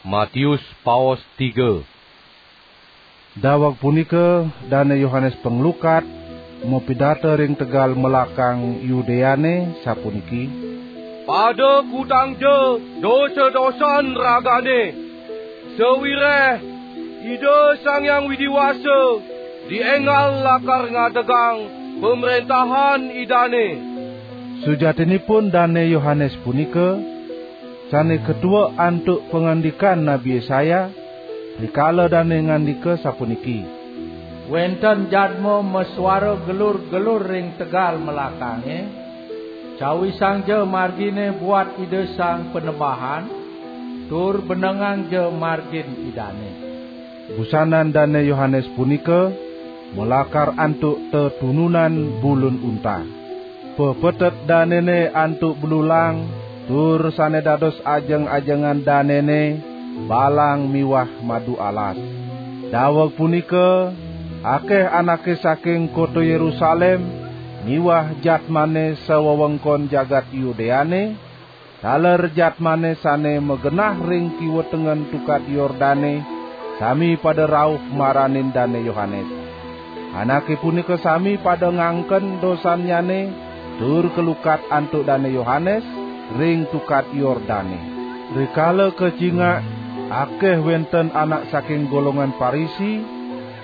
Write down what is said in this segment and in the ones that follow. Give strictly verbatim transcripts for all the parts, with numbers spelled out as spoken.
Matius paos tiga. Daweg punika Dane Yohanes Panglukat mapidata ring tegal melakang Yudeane, sapuniki: "Pada kutangja dosa-dosan ragane, sawireh Ida Sang Hyang Widi Wasa dienggal lakar ngadegang pamrentahan Idane." Sujatinipun Dane Yohanes punika sane katua antuk pangandikan Nabi Yesaya, rikala dane ngandika sapuniki: "Wenten jadma masuara gelur-gelur ring tegal melakange, cawisangja margine buat Ida Sang Panembahan, tur benengangja margin Idane." Busanan Dane Yohanes punika malakar antuk tetununan bulun unta. Pepetet danene antuk belulang, tur sane dados ajeng-ajengan danene balang miwah madu alas. Daweg punika, akeh anake saking kota Yerusalem miwah jatmane sawewengkon jagat Yudeane, taler jatmane sane magenah ring kiwa tengen Tukad Yordane, sami pada rauh maranin Dane Yohanes. Anake punika sami pada ngangken dosannyane tur kalukat antuk Dane Yohanes ring Tukad Yordane. Rikala kacingak, akeh wenten anak saking golongan Parisi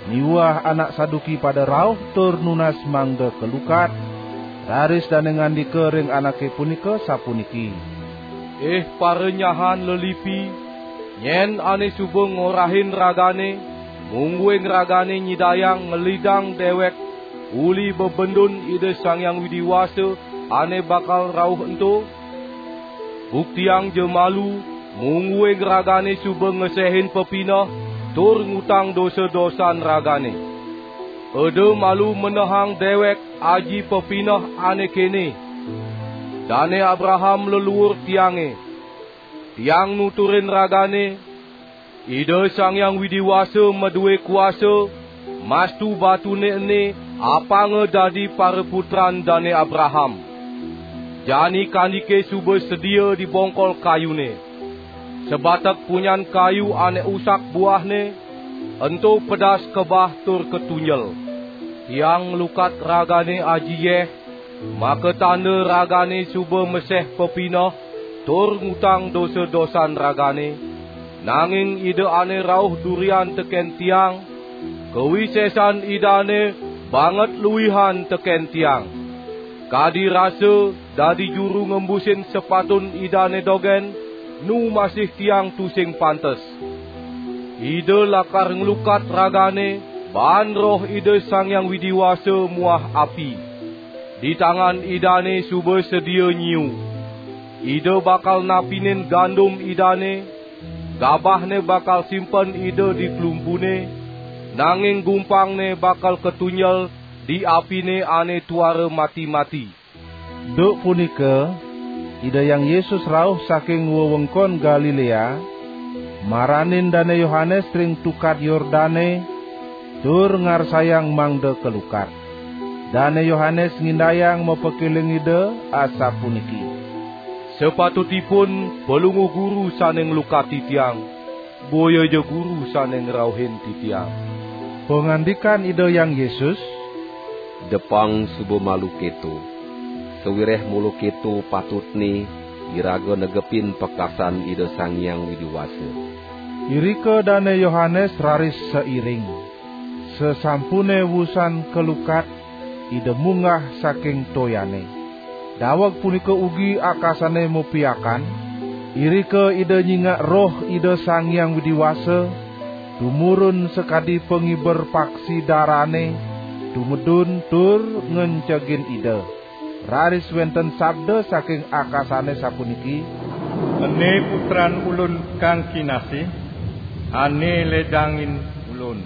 miwah anak Saduki pada rauh tur nunas mangda kalukat, raris dane ngandika ring anake punika sapuniki: "Ih paranyahan lelipi, nyen ane suba ngorahin ragane, mungguing ragane nyidayang ngelidang dewek uli bebendun Ida Sang Hyang Widi Wasa ane bakal rauh ento? Buktiangja malu, mungguing ragane suba ngesehin pepineh tur ngutang dosa-dosan ragane. Eda malu menehang dewek aji pepineh ane kene: 'Dane Abraham leluur tiange.' Tiang nuturin ragane, Ida Sang Hyang Widi Wasa madue kuasa, mastu batune ene apanga dadi paraputran Dane Abraham. Jani kandike suba sedia di bongkol kayune. Sabatek punyan kayu ane usak buahne, ento pedas kebah tur katunjel. Tiang nglukat ragane aji yeh, makatanda ragane suba meseh pepineh tur ngutang dosa-dosan ragane, nanging Ida ane rauh durian teken tiang, kawisesan Idane banget luihan teken tiang. Kadi rasa dadi juru ngembusin sepatun Idane dogen, nu masih tiang tusing pantes. Ida lakar nglukat ragane baan Roh Ida Sang Hyang Widi Wasa muah api. Di tangan Idane suba sedia nyiu. Ida bakal napinin gandum Idane, gabahne bakal simpen Ida di klumpune, nanging gumpangne bakal katunjel di apine ane tuara mati-mati." Duk punika, Ida Hyang Yesus rauh saking wewengkon Galilea, maranin Dane Yohanes ring Tukad Yordane, tur ngarsayang mangda kalukat. Dane Yohanes ngindayang mapakeling Ida, asapuniki: "Sapatutipun Palungguh Guru sane nglukati tiang, boyaja Guru sane ngrauhin titiang." Pangandikan Ida Hyang Yesus: "Depang suba malu keto, sawireh mula keto patutne iraga negepin pakasan Ida Sang Hyang Widi Wasa." Irika Dane Yohanes raris sairing. Sasampune wusan kalukat, Ida munggah saking toyane. Daweg punika ugi akasane mapiakan, irika Ida nyingak Roh Ida Sang Hyang Widi Wasa tumurun sakadi pangiber paksi darane, tumedun tur ngencegin Ida. Raris wenten sabda saking akasane sapuniki: "Ene Putran Ulun kang kinasih, ane ledangin Ulun."